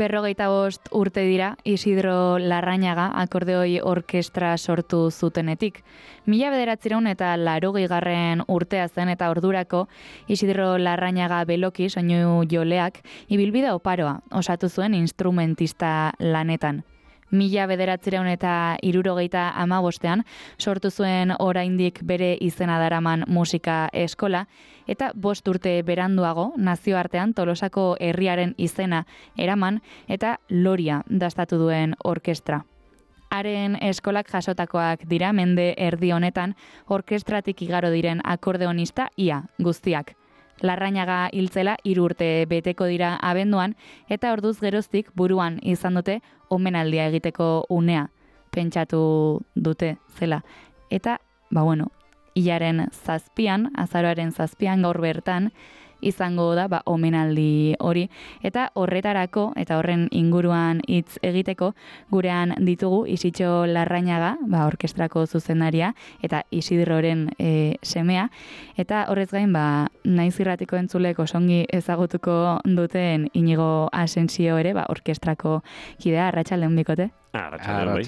Berrogeita 5 urte dira Isidro Larrañaga akordeoi orkestra sortu zutenetik. 1980 urtea zen eta ordurako Isidro Larrañaga Beloki soinu joleak ibilbide oparoa osatu zuen instrumentista lanetan. 1975 sortu zuen oraindik bere izena daraman musika eskola eta 5 urte beranduago nazioartean Tolosako herriaren izena eraman eta Loria dastatu duen orkestra. Haren eskolak jasotakoak dira mende erdi honetan orkestratik igaro diren akordeonista ia guztiak. Larrañaga hiltzela 3 urte beteko dira abenduan eta orduz geroztik buruan izan dute omenaldia egiteko unea. Pentsatu dute zela. Eta, hilaren 7, azaroaren 7 gaur bertan, izango da omenaldi hori. Eta horretarako, eta horren inguruan hitz egiteko, gurean ditugu Isitxo Larrañaga, orkestrako zuzendaria, eta Isidroren semea. Eta horrez gain, naiz irratiko entzulek osongi ezagutuko duten Inigo Asensio ere, orkestrako kidea, arratsaldeon bikote? Arratsaldeon.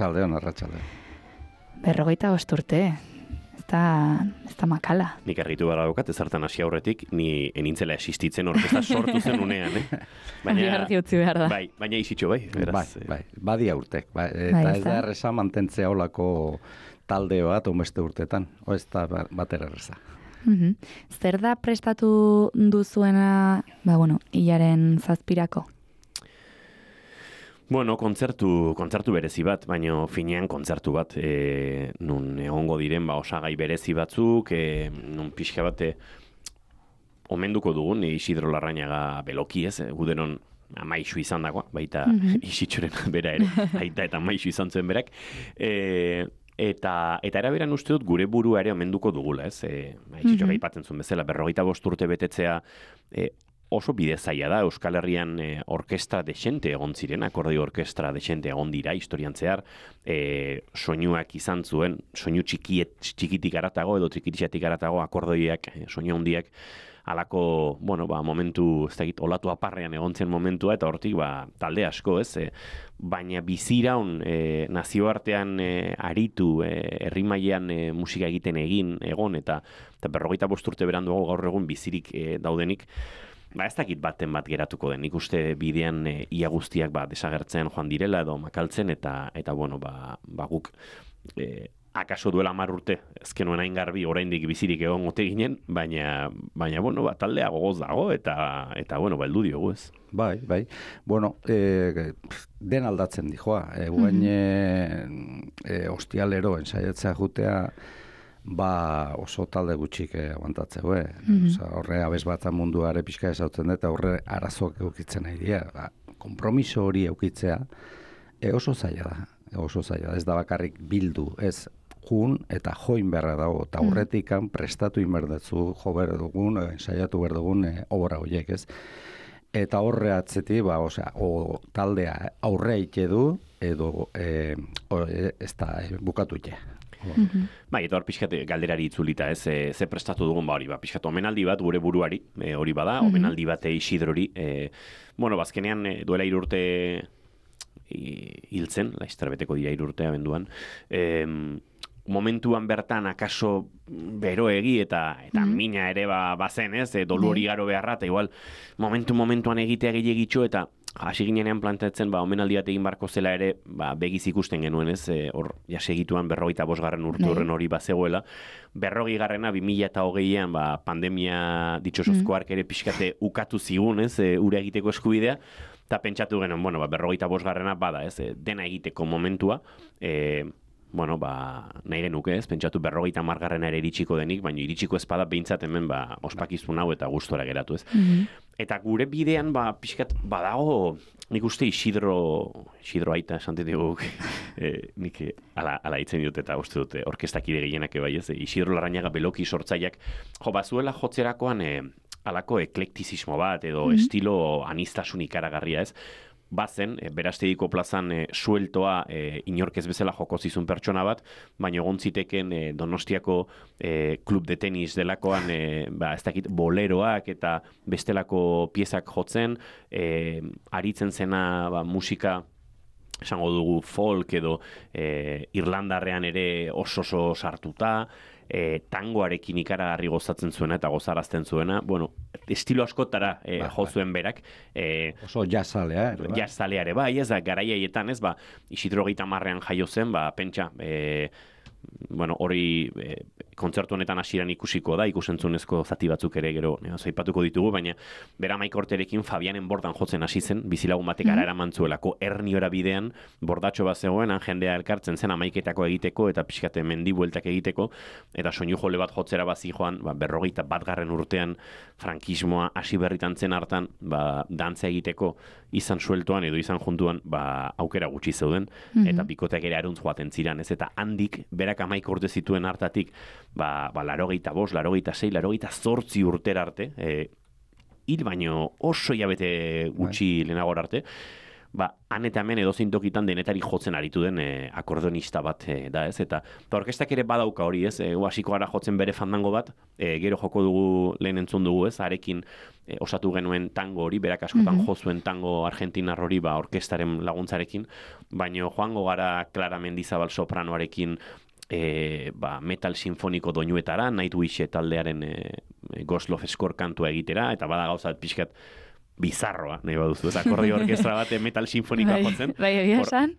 45 urte. Ez da makala. Nik argitu gara daukat, ezartan hasi aurretik, ni enintzela existitzen orkestra sortu zen unean, Baina argi utzi behar da. Baina Isitxo, beraz. Badia urtek. Eta ez da erreza mantentzea olako talde bat beste urtetan. Ez da batera erreza. Zer da prestatu duzuena, hilaren 7-rako? Kontzertu berezi bat, baina finean kontzertu bat, nun egongo diren osagai berezi batzuk, nun pixka bat omenduko dugun Isidro Larrañaga Beloki, gudenon amaixu izan dagoa, baita Isitxoren bera ere, aita eta amaixu izan zuen berak, eta eraberan uste dut gure burua ere omenduko dugula, Isitxo gaipatzen zuen bezala, 45 urte betetzea, oso bide zaila da, Euskal Herrian orkestra desente egon ziren, akordeoi orkestra desente egon dira, historian zehar, soinuak izan zuen, soinu txikitik aratago edo txikitixatik aratago akordeoiak, soinu handiak, alako, momentu, ez dakit, olatu aparrean egon zen momentua, eta hortik, talde asko, baina biziraun nazioartean aritu, herri mailean musika egiten egon, eta 45 urte beranduago gaur egun bizirik daudenik, ez dakit baten bat geratuko den, nik uste bidean ia guztiak desagertzen joan direla edo makaltzen, eta guk akaso duela 10 urte, ezkenuen hain garbi oraindik bizirik egon ote ginen, baina taldea gogoz dago, eta heldu diogu ez. Bai. Den aldatzen dijoa. Guain ostialero ensaiatzea jutea, oso talde gutxik aguantatzeu, horre abez bat munduare pixka ezautzen eta horre arazoak eukitzen nahi dira. Kompromiso hori eukitzea oso zaila da, ez da bakarrik bildu, ez jun eta join beharra dago, eta horretikan prestatu inberdetzu, jo behar dugun, ensaiatu behar dugun obra horiek, ez? Eta horre atzetik, taldea aurre ite du, edo ez da bukatu ite. Eta hor pixkat galderari itzulita, ze prestatu dugun hori, pixkat omenaldi bat gure buruari, hori bada, omenaldi bat Isidrori, bazkenean duela 3 urte hiltzen, laizter beteko dira 3 urte abenduan, momentuan bertan akaso beroegi eta mina ere bazen, dolu hori garo beharra, eta igual momentuan egitea gehiagitxo, eta hasi ginenean planteatzen, omenaldi bat egin barko zela ere, begiz ikusten genuen, hor jasegituan 45. urte horren hori bazegoela, 40. 2020an, pandemia ditxosozko ark ere pixkate ukatu zigun, ura egiteko eskubidea, eta pentsatu genuen, 45. bada, dena egiteko momentua, nahi genuke pentsatu 50. ere iritsiko denik, baina iritsiko espada behintzat hemen ospakizun hau eta gustora geratu Eta gure bidean pixkat badago, nik uste Isidro aita esantet dugu, nik ala hitzen dut eta uste dute orkestakide gehienak bai Isidro Larrañaga Beloki sortzaileak, bazuela jotzerakoan alako eklektizismo bat edo estilo anistasun ikaragarria, ez? Bazen, Berastediko plazan sueltoa inork ez bezala joko zizun pertsona bat, baina egon ziteken Donostiako klub de tenis delakoan ez dakit boleroak eta bestelako piezak jotzen, aritzen zena musika esango dugu folk edo Irlandarrean ere oso sartuta, tangoarekin ikaragarri gozatzen zuena eta gozarazten zuena, bueno, estilo askotara jo zuen berak. Oso jazzalea, jazzalea ere bai, ez da, garaiaietan, ez, Isidro 30 jaio zen, pentsa, bueno, hori kontzertu honetan hasieran ikusiko da, ikusentzunezko zati batzuk ere gero aipatuko ditugu, baina bera Maikorterekin Fabianen bordan jotzen hasi zen, bizilagun batek ara eramantzuelako Erniora bidean, bordatxo bat zegoen, jendea elkartzen zen amaiketako egiteko eta pixkate mendi bueltak egiteko, eta soinu jole bat jotzera bazi joan, 41. urtean frankismoa hasi berritan zen hartan, dantza egiteko izan sueltoan edo izan juntuan, aukera gutxi zeuden, eta bikoteak ere aruntz joaten ziran, ez, eta handik, berak 11 urte zituen hartatik, 85, 86, 88 urtera arte, hil baino oso hilabete gutxi lehenagor arte, han eta hemen edozein tokitan denetari jotzen aritu den akordonista bat da, ez? Eta orkestak ere badauka hori, ez? Hasiko gara jotzen bere fandango bat, gero joko dugu, lehen entzun dugu, ez? Harekin osatu genuen tango hori, berak askotan jo zuen tango argentinar hori, orkestaren laguntzarekin, baino joango gara Clara Mendizabal sopranoarekin metal sinfoniko doinuetara, Nightwish taldearen Ghost Love Score kantua egitera, eta bada gauzat pixkat bizarroa, nahi baduzu, ez akordio orkestra bat metal sinfonikoa jotzen.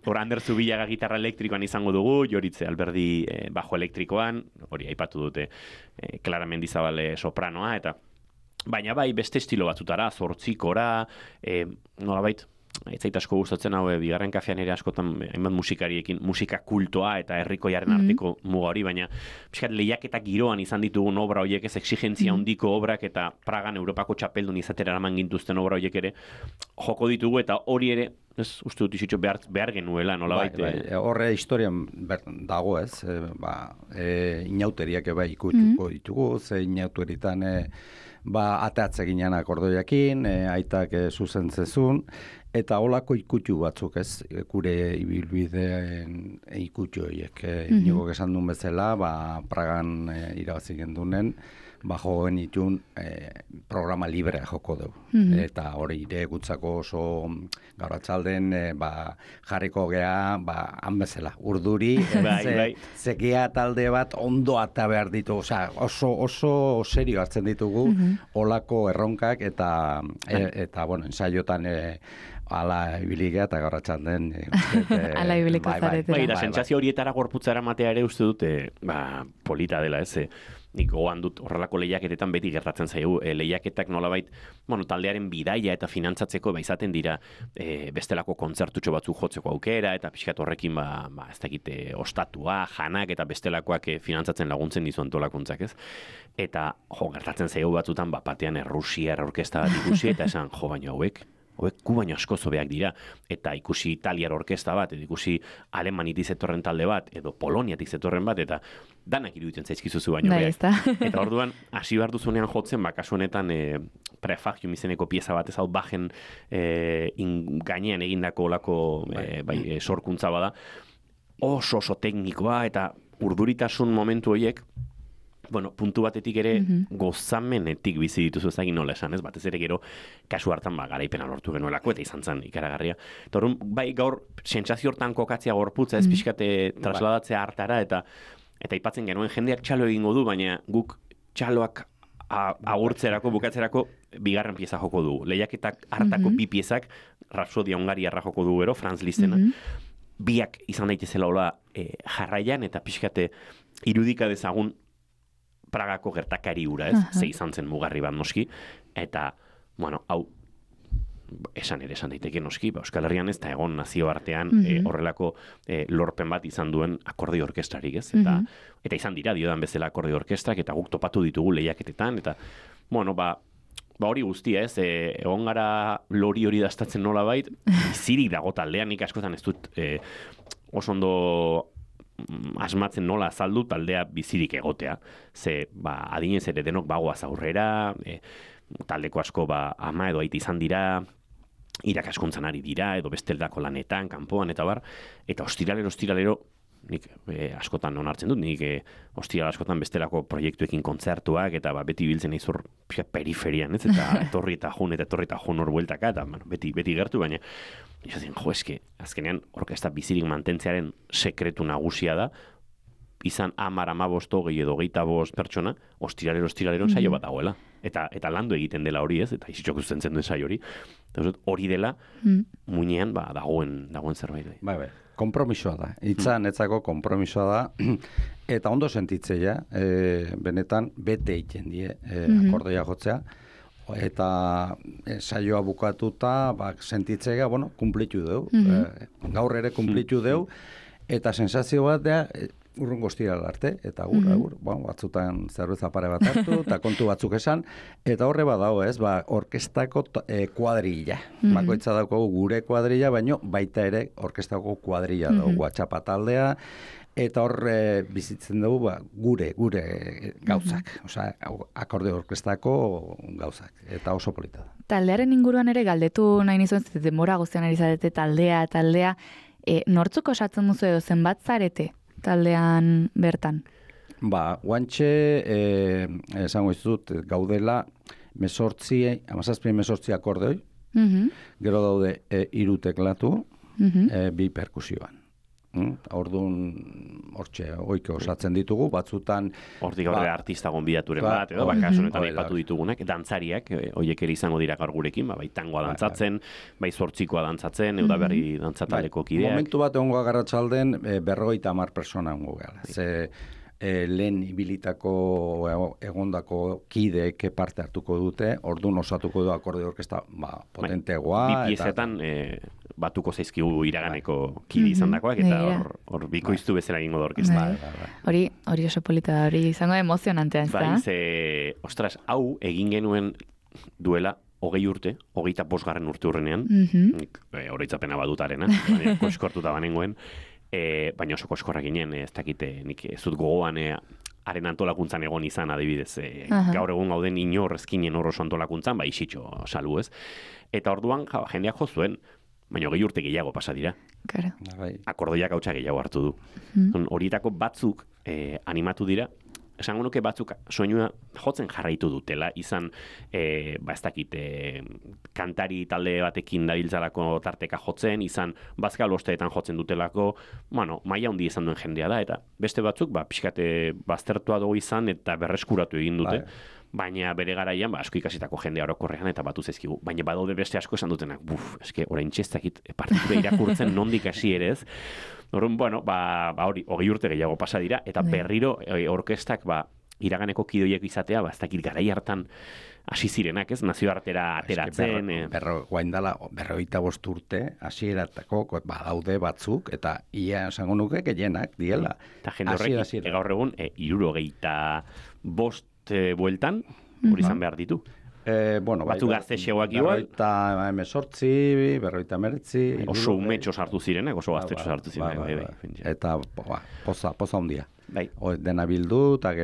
Hor Ander Zubillaga gitarra elektrikoan izango dugu, Joritze Alberdi bajo elektrikoan, hori aipatu dute Clara Mendizabal sopranoa, eta baina beste estilo batzutara, zortzikora, nolabait, ez zait asko gustatzen hau, bigarren kafean ere askotan hainbat musikariekin, musika kultoa eta herrikoiaren arteko muga hori, baina pixkat lehiaketa giroan izan ditugun obra horiek, ez exigentzia handiko obrak eta Pragan Europako txapeldun izatera eraman gintuzten obra horiek ere joko ditugu, eta hori ere, ez uste dut izitxo behar genuela, nolabait. Horre historian dago, ez, inauteriak ikutuko ditugu, ze inauteritan ateatze ginen akordoiakin, aitak zuzentzezun, eta holako ikutu batzuk, ez, gure ibilbideen ikutu horiek. Niko esan duen bezala, Pragan irabazi gendunen, jo genitun programa librea joko dugu. Eta hori ire gutzako oso gauratzalden jarriko gea, han bezala, urduri, zekia talde bat ondo ata behar ditu, oso serio hartzen ditugu holako erronkak, eta ensaiotan ala ibiligea eta gauratzen den ala ibiliko zaretera. Da, sentsazio horietara gorputzara matea ere uste dute polita dela, ez? Nik gogoan dut horrelako lehiaketetan beti gertatzen zaigu. Lehiaketak nolabait, taldearen bidaia eta finantzatzeko izaten dira bestelako kontzertutxo batzuk jotzeko aukera, eta pixkat horrekin ez dakite ostatua, janak eta bestelakoak finantzatzen laguntzen dizu antolakuntzak, ez? Eta gertatzen zaigu batzutan batean Errusiar orkesta bat ikusi, eta esan, baina hauek gu baino asko zobeak dira, eta ikusi Italiar orkesta bat, edo ikusi Alemanitik zetorren talde bat, edo Poloniatik zetorren bat, eta danak iruditzen zaizkizuzu baino beak. Eta orduan, hasi behar duzunean jotzen, kasu honetan Prefagium izeneko pieza bat, ez hau bajen gainean egindako olako sorkuntza bada, oso teknikoa, eta urduritasun momentu horiek, puntu batetik ere gozamenetik bizi dituzu ezagin nola esan, ez? Batez ere gero kasu hartan garaipena lortu genuelako eta izan zen ikaragarria. Eta orduan, gaur sentsazio hortan kokatzea gorputza, ez pixkate trasladatzea hartara, eta aipatzen genuen jendeak txalo egingo du, baina guk txaloak agurtzerako, bukatzerako bigarren pieza joko dugu. Lehiaketak hartako bi piezak, Rapsodia Hungariarra joko dugu gero, Franz Lisztena, biak izan daitezela hola jarraian, eta pixkate irudika dezagun Pragako gertakari hura, ez? Ze izan zen mugarri bat noski, eta, hau, esan daiteke noski, Euskal Herrian ez da egon nazio artean horrelako lorpen bat izan duen akordio orkestrarik, ez? Eta izan dira, diodan bezala akordio orkestrak, eta guk topatu ditugu lehiaketetan, eta, hori guztia, ez? Egon gara lori hori dastatzen nola bait, bizirik dago taldean, nik askotan ez dut oso ondo asmatzen nola azaldu taldea bizirik egotea. Ze, adinez ere denok bagoaz aurrera, taldeko asko ama edo aita izan dira, irakaskuntzan ari dira, edo besteldako lanetan, kanpoan, eta bar, eta ostiralero, nik askotan onartzen dut, nik ostiral askotan bestelako proiektuekin kontzertuak, eta beti biltzen izur periferian, ez? Eta etorri eta jun hor bueltaka, eta beti gertu, baina esaten, eske, azkenean orkesta bizirik mantentzearen sekretu nagusia da, izan 10, 15, 20 edo 25 pertsona, ostiralero saio bat dagoela. Eta landu egiten dela hori, ez? Eta izitxok zuzentzen duen saio hori. Eta hori dela, muinean dagoen zerbait. Bai, kompromisoa da. Itzan etzako kompromisoa da. Eta ondo sentitzea, benetan, bete egiten die akordeia jotzea. Eta saioa bukatuta, sentitzea, kumplitu deu. Gaur ere kumplitu deu. Eta sensazio bat da, urrungo ostiral arte, eta batzutan zerbeza pare bat hartu, eta kontu batzuk esan, eta horre badao ez, orkestako kuadrilla. Bakoitza daukagu gure kuadrilla, baino baita ere orkestako kuadrilla dugu, atxapa taldea, eta horre bizitzen dugu gure gauzak, akorde orkestako gauzak, eta oso polita da. Taldearen inguruan ere galdetu nahi nizuen, denbora guztian ari zarete taldea, nortzuk osatzen duzu edo zenbat zarete taldean bertan? Guantxe, esango izut, gaudela 17 akordeoi, gero daude 3 teklatu, 2 perkusioan. Orduan, hortxe, oike osatzen ditugu, batzutan... Hortik gaur artista gonbidaturen bat, edo bakasunetan aipatu ditugunak, dantzariak, horiek ere izango dira gaur gurekin, bai tangoa dantzatzen, bai zortzikoa dantzatzen, eudaberri dantzataleko kideak. Momentu bat egongo agarratxalden, 50 persona egongo gara. Lehen ibilitako egondako kideek parte hartuko dute, orduan osatuko du akorde orkesta potenteagoa. Bi piezetan batuko zaizkigu iraganeko kide izan dakoak, eta hor bikoiztu bezala egingo da orkesta. Hori oso polita da, hori izango emozionantea, ez da? Ostras, hau egin genuen duela 20 urte, 25. urte hurrenean, horitzapena badutarena, koskortuta banengoen, baina oso koskorra ginen, ez dakite, nik ez dut gogoan haren antolakuntzan egon izan adibidez. Gaur egun gauden inor ezkinen hor oso antolakuntzan, isitxo salu ez. Eta orduan jendeak jo zuen, baina 20 urte gehiago pasa dira. Akordoiak hautsa gehiago hartu du. Horietako batzuk animatu dira, esango nuke batzuk soinua jotzen jarraitu dutela, izan, ez dakit, kantari talde batekin dabiltzalako tarteka jotzen, izan bazkal osteetan jotzen dutelako, maila handi izan duen jendea da, eta beste batzuk, pixkate baztertua dugu izan, eta berreskuratu egin dute, baina bere garaian, asko ikasitako jendea orokorrean, eta batu zaizkigu. Baina badaude beste asko esan dutenak, orain txestakit, partitura irakurtzen nondik hasi ere ez. Horren, hori, 20 urte gehiago pasa dira, eta berriro orkestak iraganeko kidoiek izatea, ez dakit garai hartan hasi zirenak, ez, nazioartera ateratzen. Guaindala, 25 urte, hasieratako badaude batzuk, eta ia esango nuke gehienak diela. Eta jende horrek, gaur egun, 75 bueltan, hori izan behar ditu. Batzu gazte xegoak igual. 48, 49. Oso umetxo sartu zirenak, oso gaztetxo sartu zirenak. Eta poza handia. Dena bildu, eta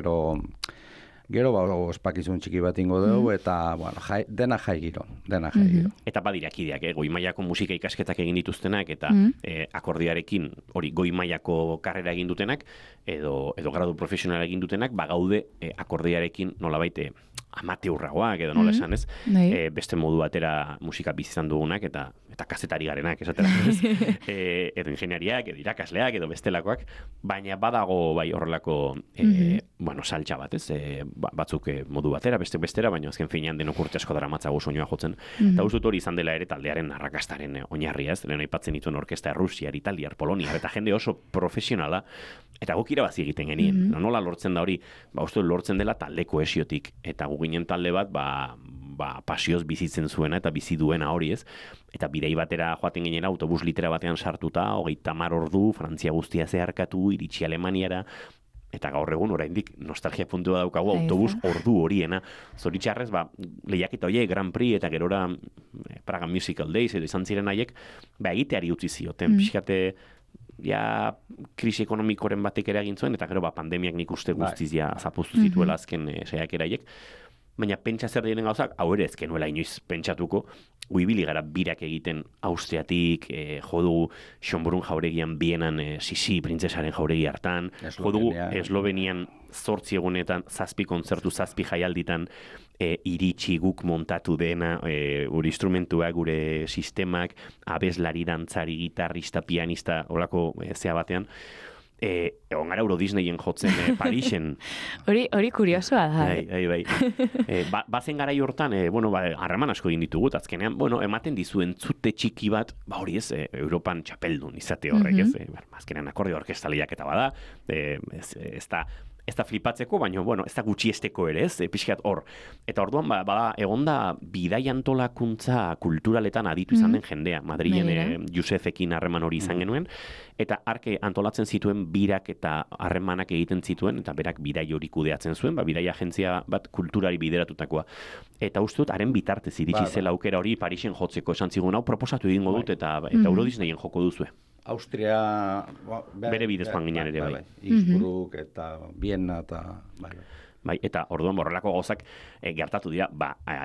gero ospakizun txiki bat ingo dugu, eta dena jai giro. Eta badira kideak, goi mailako musika ikasketak egin dituztenak, eta akordiarekin hori goi mailako karrera egin dutenak, edo gradu profesionala egin dutenak, gaude akordiarekin nolabait amateurragoak edo nola esan ez, beste modu batera musika bizizan dugunak, eta kazetari garenak esatera, edo ingeniariak, edo irakasleak, edo bestelakoak, baina badago horrelako saltxa bat, ez, batzuk modu batera, bestera, baina azken finean denok urte asko dara matzago soinua jotzen, eta uste hori izan dela ere taldearen arrakastaren oinarria, ez, lehen aipatzen dituen orkesta Rusiar, Italiar, Poloniar, eta jende oso profesionala, eta guk irabazi egiten genien, nola lortzen da hori, uste lortzen dela talde kohesiotik, eta ginen talde bat, pasioz bizitzen zuena eta bizi duena hori ez. Eta bidei batera joaten ginen autobus litera batean sartuta, 30 ordu, Frantzia guztia zeharkatu, iritsi Alemaniara, eta gaur egun oraindik nostalgia puntua daukagu autobus ordu horiena. Zoritxarrez, lehiaketa horiek, Grand Prix eta gerora Praga Musical Days edo izan ziren haiek, egiteari utzi zioten, pixkate krisi ekonomikoren batek ere egin zuen, eta gero pandemiak nik uste guztiz zapuztu zituela azken saiakeraiek. baina pentsa zer diren gauzak, hau ere ezken nuela inoiz pentsatuko, guibili gara birak egiten Austriatik, jodugu Schönbrunn jauregian Bienan Sisi printzesaren jauregi hartan, jodugu Eslovenian 8 egunetan 7 kontzertu 7 jaialditan iritsi guk montatu dena, gure instrumentua, gure sistemak, abeslari, dantzari, gitarrista, pianista, holako zea batean, egon gara Euro Disneyen jotzen Parisen. Hori kuriosoa da. Bai. Bazen gara hortan, harreman asko egin ditugut, azkenean, ematen dizu entzute txiki bat, hori ez, Europan txapeldun izate horrek, ez, azkenean akorde orkestaliak eta bada, ez da flipatzeko, baina, ez da gutxiesteko ere, ez, pixkat hor. Eta orduan, bada, egonda bidai antolakuntza kulturaletan aditu izan den jendea, Madrilen Josefekin harreman hori izan genuen, eta arke antolatzen zituen birak eta harremanak egiten zituen, eta berak bidai hori kudeatzen zuen, bidai agentzia bat kulturari bideratutakoa. Eta uste dut, haren bitartez iritsi zela aukera hori Parisen jotzeko esan zigun, hau proposatu egingo dut, eta Euro Disneyen joko duzue. Austria... bere bidez joan ginen ere, bai. Innsbruck eta Viena eta... Bai, eta orduan borrelako gauzak gertatu dira,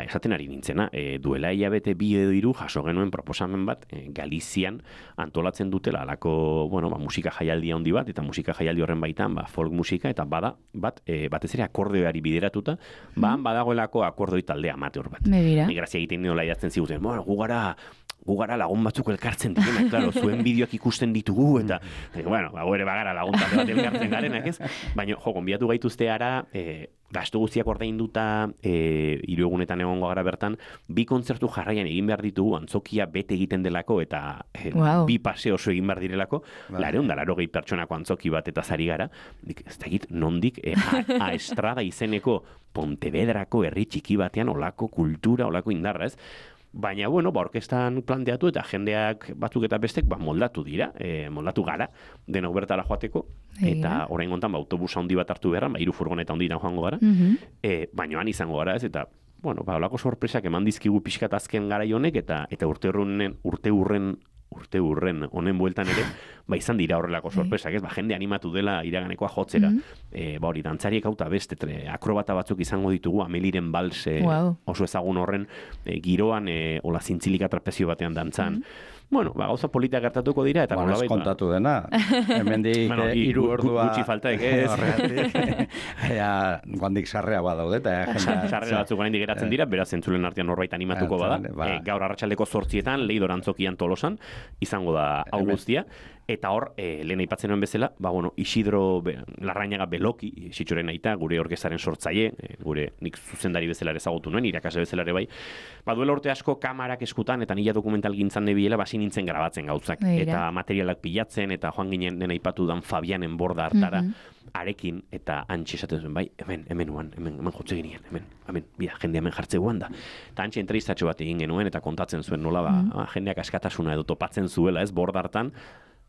esaten ari nintzena, duela hilabete 2 edo 3 jaso genuen proposamen bat, Galizian antolatzen dutela alako, musika jaialdi handi bat, eta musika jaialdi horren baitan, folk musika, eta batez ere akordeoari bideratuta, badagoelako akordoi talde amateur bat. Migrazia egiten nola idazten ziguten, gu gara lagun batzuk elkartzen direna, klaro, zuen bideoak ikusten ditugu, eta, ere bagara lagun talde bat elkartzen garenak, ez? Baina, gonbidatu gaituzte ara, gastu guztiak ordainduta, 3 egunetan egongo gara bertan, 2 kontzertu jarraian egin behar ditugu, antzokia bete egiten delako, eta 2 pase oso egin behar direlako, 480 pertsonako antzoki bat eta zari gara, ez da egit, nondik, a Estrada izeneko Pontevedrako herri txiki batean, olako kultura, olako indarra, ez? Baina, orkestan planteatu eta jendeak batzuk eta bestek moldatu dira, moldatu gara, denok bertara joateko, eta orain gontan autobusa handi bat hartu beharran, 3 furgoneta handitan joango gara, baina han izango gara ez, eta, olako sorpresak eman dizkigu pixkat azken garai honek, eta urte hurren honen bueltan ere, izan dira horrelako sorpresak, ez? Jende animatu dela iraganekoa jotzera. Hori, dantzariek hauta beste, akrobata batzuk izango ditugu, Ameliren Bals oso ezagun horren, giroan, hola zintzilika trapezio batean dantzan. Gauza polita gertatuko dira, eta ez kontatu dena. Hemendik 3 ordua... Gutxi faltaek, ez? Guandik sarrea badaude, eta... Sarrea batzuk guandik geratzen dira, beraz entzulen artean norbait animatuko bada. Gaur arratsaldeko 8etan, Leidor Antzokian Tolosan, izango da hau guztia. Eta hor, lehen aipatzen nuen bezala, Isidro Larrañaga Beloki, Sitxoren aita, gure orkestaren sortzaile, gure nik zuzendari bezala ezagutu nuen, irakasle bezala ere bai. Duela urte asko kamarak eskutan, eta nila dokumental gintzan nebiela, basi nintzen grabatzen gauzak. Eta materialak pilatzen, eta joan ginen den aipatu dan Fabianen borda hartara, arekin, eta antxe esaten zuen, hemen jotze ginen, hemen, jende hemen jartze guan da. Eta antxe entrevistatxo bat egin genuen, eta kontatzen zuen nola, jendeak askatasuna edo topatzen zuela, ez, borda hartan,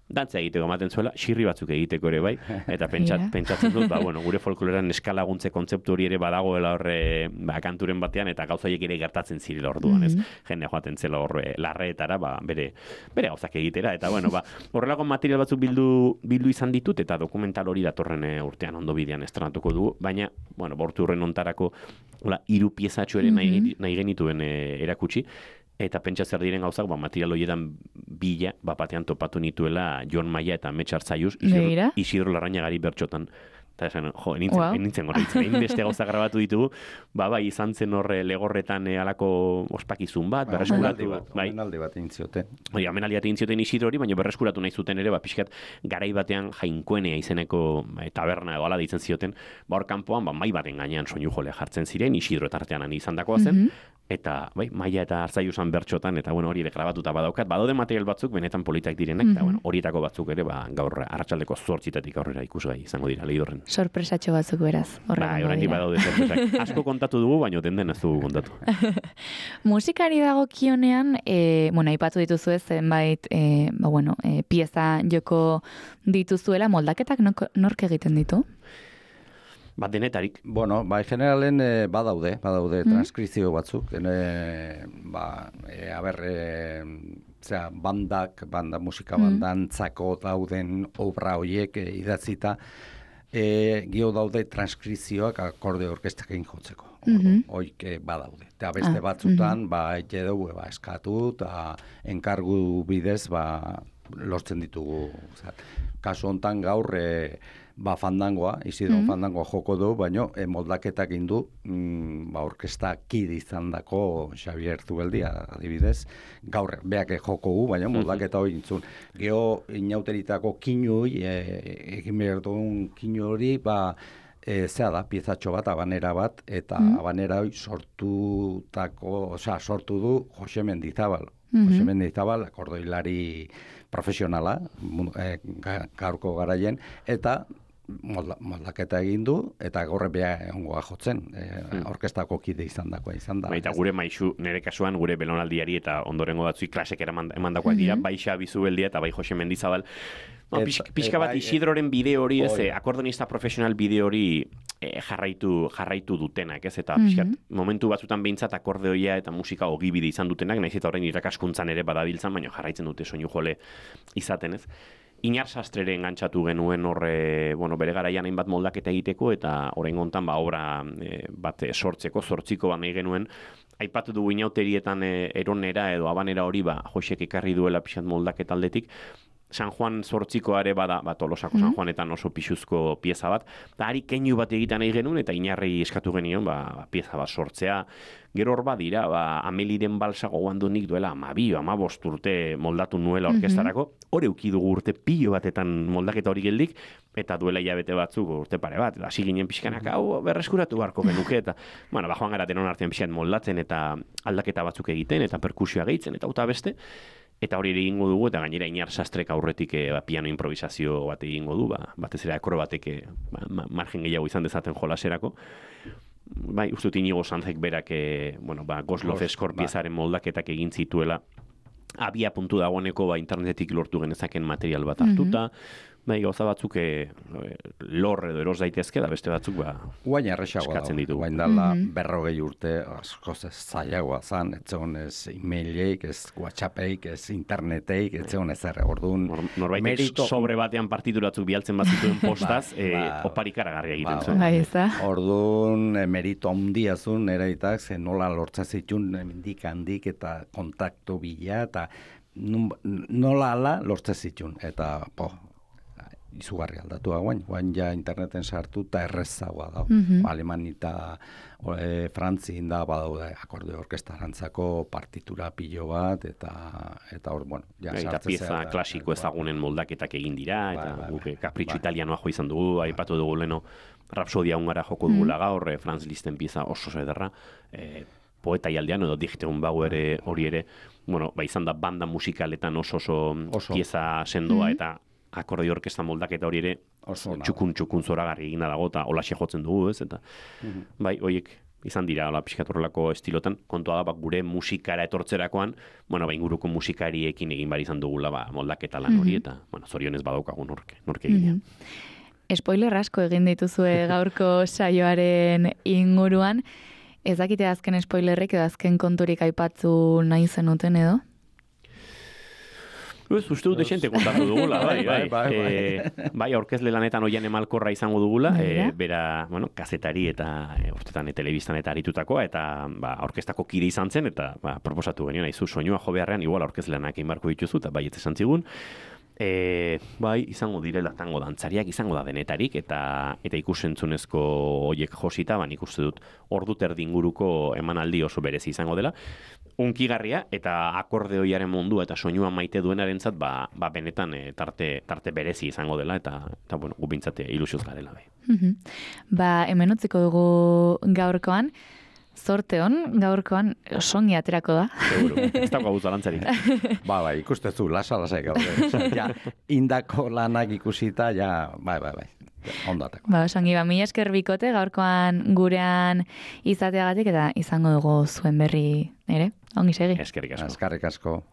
dantza egiteko ematen zuela, xirri batzuk egiteko ere bai, eta pentsatzen dut, gure folklorean eskalaguntze kontzeptu hori ere badagoela horre kanturen batean, eta gauzaiek ere gertatzen zirela orduan, ez? Jende joaten zela horre larreetara, bere gauzak egitera, eta horrelako material batzuk bildu izan ditut, eta dokumental hori datorren urtean ondo bidean estrenatuko dugu, baina, bortu horren ontarako 3 piezatxo ere nahi genituen erakutsi, eta pentsa zer diren gauzak, material horietan bila, batean topatu nituela Jon Maia eta Metxar Zaiuz, Isidro Larrañagari bertxotan. Eta esan, nintzen horretzen, beste gauza grabatu ditugu, izan zen horre legorretan alako ospakizun bat, berreskuratu. Omenaldi bat egin zioten. Omenaldi bat egin zioten Isidro hori, baina berreskuratu nahi zuten ere, pixkat garai batean Jainkoenea izeneko taberna edo ala ditzen zioten, hor kanpoan, mai baten gainean soinu jole jartzen ziren, Isidro eta artean izan dakoa zen, eta Maia eta Arzaiusan bertxotan, eta hori ere grabatuta badaukat, badaude material batzuk benetan politak direnak, eta horietako batzuk ere gaur arratsaldeko 8 aurrera ikusgai izango dira Leidorren. Sorpresatxo batzuk beraz. Oraindik badaude sorpresak. Asko kontatu dugu, baina den ez dugu kontatu. Musikari dagokionean, aipatu dituzu zenbait, pieza joko dituzuela, moldaketak nork egiten ditu? Denetarik. Generalen badaude transkrizio batzuk. Musika bandantzako dauden obra horiek idatzita, gio daude transkrizioak akorde orkestak egin jotzeko. Hoik badaude. Eta beste batzutan, ete dugu, eskatu, eta enkargu bidez, lortzen ditugu. Kasu hontan gaur, fandangoa, Isidro fandangoa joko du, baina moldaketak indu, orkesta kide izan dako Xavier Zubeldia, adibidez, gaur beak joko gu, baina moldaketa hori intzun. Geo inauteritako kinui, egin behar duen kinu hori, zea da, piezatxo bat, abanera bat, eta abanera hori sortu du Jose Mendizabal. Jose Mendizabal, akordeilari profesionala, gaurko garaien, eta moldaketa egin du, eta gorre beha ongoa jotzen, orkestako kide izan da. Eta gure maizu, nire kasuan, gure belonaldiari eta ondorengo batzui klasek emandakoak dira, bai Xabi Zubeldia eta bai Jose Mendizabal. Pixka bat Isidroren bideo hori, akordonista profesional bideo hori jarraitu dutenak, ez? Eta pixkat, momentu batzutan behintzat akordeoia eta musika ogibide izan dutenak, nahiz eta orain irakaskuntzan ere badabiltzan, baina jarraitzen dute soinu jole izaten, ez? Inar Sastrere engantzatu genuen horre, bere garaian hainbat moldaketa egiteko, eta orain gontan obra bat sortziko bat nahi genuen, aipatu dugu inauterietan eronera edo abanera hori, Josek ekarri duela pixat moldaketa aldetik, San Juan zortzikoare bada, Tolosako San Juanetan oso pixuzko pieza bat, eta hari keinu bat egiten nahi genuen, eta Inarrei eskatu genion, pieza bat sortzea. Gero hor badira, Ameliren balsa gogoan du nik duela 12 urte moldatu nuela orkestarako, hori ukidugu urte pilo batetan moldaketa hori geldik, eta duela hilabete batzuk urte pare bat, hasi ginen pixkanak, hau berreskuratu beharko genuke, eta, joan gara denon artean pixkan moldatzen, eta aldaketa batzuk egiten, eta perkusioa gehitzen, eta beste, eta hori egingo dugu, eta gainera Inar Sastrek aurretik piano improvisazio bat egingo du, batez ere akrobatek margen gehiago izan dezaten jolaserako. Bai, uste dut Inigo Sanzek berak, Goslov Eskor piezaren moldaketak egin zituela, abia puntu dagoeneko internetetik lortu genezaken material bat hartuta, gauza batzuk lor edo eros daitezke, da beste batzuk guain eskatzen ditugu. Guain dala 40 urte, askoz ez zailagoa zan, ez zegoen ez e-maileik, ez WhatsAppeik, ez interneteik, ez zegoen ez erre. Orduan, norbait sobre batean partituratzuk bialtzen bat zituen postaz, oparikaragarria egiten zuen. Orduan, merito handia zuen, eraitak, nola lortza zituen handik eta kontaktu bila, eta nola ala lortza zituen, eta izugarri aldatu guain ja interneten sartu eta errezagoa da. Alemani eta Frantzin da badaude akordeo orkestarantzako partitura pilo bat, eta hor, ja sartzen. Eta pieza klasiko ezagunen moldaketak egin dira, eta guke kapritxo italianoa jo izan dugu, aipatu dugu leno Rapsodia Hungara joko dugula gaur, Franz Liszten pieza oso ederra, Poeta Ialdean edo Dichteon Bauer hori ere, izan da banda musikaletan oso pieza sendoa, eta akordio orkesta moldaketa hori ere txukun zoragarri egina dago, eta holaxe jotzen dugu, ez? Eta, horiek izan dira, pixkat horrelako estilotan, kontua da, gure musikara etortzerakoan, inguruko musikariekin egin bari izan dugula, moldaketa lan hori, eta, zorionez badaukagun norke egina. Spoiler asko egin dituzue gaurko saioaren inguruan, ez dakite azken spoilerrek edo azken konturik aipatzu nahi zenuten edo? Uste dut desente kontatu dugula, bai, aurkezle lanetan oian emalkorra izango dugula, bera, kazetari eta urtetan telebistan eta aritutakoa, eta orkestako kide izan zen, eta proposatu genioen, aizu, soinua jo beharrean, igual aurkezle lanak egin barko dituzu, eta bai, ez esan zigun, izango direla tango dantzariak, izango da denetarik, eta ikusentzunezko hoiek josita, nik uste dut ordu terdi inguruko emanaldi oso berezi izango dela, unkigarria, eta akordeoiaren mundua eta soinua maite duenarentzat, benetan tarte berezi izango dela, eta gu bintzate ilusioz garela. Hemen utziko dugu gaurkoan, zorte hon, gaurkoan songi aterako da. Seguro, ez dago gauza lantzarik. Ikustezu, lasa gaude. Indako lanak ikusita, bai. Ondateko. Songi, mila esker bikote, gaurkoan gurean izateagatik, eta izango dugu zuen berri, ere? Ongi segi. Eskerrik asko. Eskerrik asko.